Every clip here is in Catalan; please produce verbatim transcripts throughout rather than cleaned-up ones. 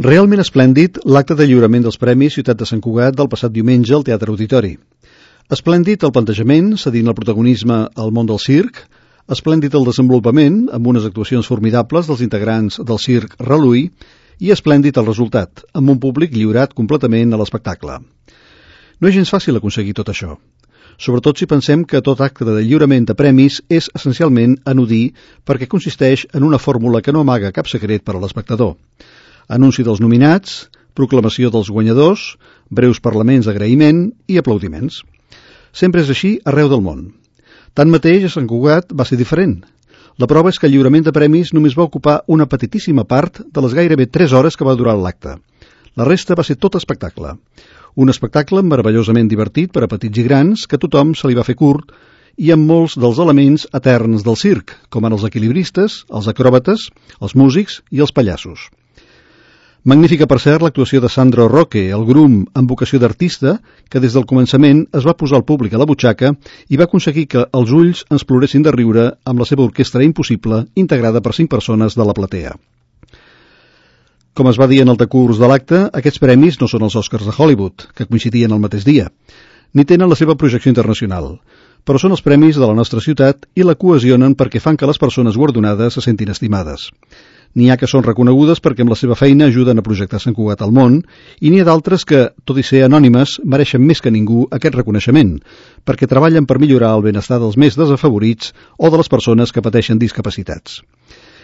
Realment esplèndid l'acte de lliurament dels Premis Ciutat de Sant Cugat del passat diumenge al Teatre Auditori. Esplèndid el plantejament, cedint el protagonisme al món del circ, esplèndid el desenvolupament, amb unes actuacions formidables dels integrants del circ Reluí, i esplèndid el resultat, amb un públic lliurat completament a l'espectacle. No és gens fàcil aconseguir tot això, sobretot si pensem que tot acte de lliurament de premis és essencialment anodí perquè consisteix en una fórmula que no amaga cap secret per a l'espectador. Anunci dels nominats, proclamació dels guanyadors, breus parlaments d'agraïment i aplaudiments. Sempre és així arreu del món. Tanmateix, a Sant Cugat va ser diferent. La prova és que el lliurament de premis només va ocupar una petitíssima part de les gairebé tres hores que va durar l'acte. La resta va ser tot espectacle. Un espectacle meravellosament divertit per a petits i grans que a tothom se li va fer curt i amb molts dels elements eterns del circ, com en els equilibristes, els acròbates, els músics i els pallassos. Magnífica, per cert, l'actuació de Sandro Roque, el grum amb vocació d'artista, que des del començament es va posar al públic a la butxaca i va aconseguir que els ulls ens ploressin de riure amb la seva orquestra impossible, integrada per cinc persones de la platea. Com es va dir en el decurs de l'acte, aquests premis no són els Oscars de Hollywood, que coincidien el mateix dia, ni tenen la seva projecció internacional, però són els premis de la nostra ciutat i la cohesionen perquè fan que les persones guardonades se sentin estimades. N'hi ha que són reconegudes perquè amb la seva feina ajuden a projectar Sant Cugat al món i n'hi ha d'altres que, tot i ser anònimes, mereixen més que ningú aquest reconeixement, perquè treballen per millorar el benestar dels més desafavorits o de les persones que pateixen discapacitats.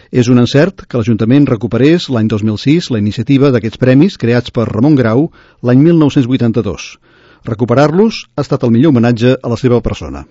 És un encert que l'Ajuntament recuperés l'any dos mil sis la iniciativa d'aquests premis creats per Ramon Grau l'any mil nou-cents vuitanta-dos. Recuperar-los ha estat el millor homenatge a la seva persona.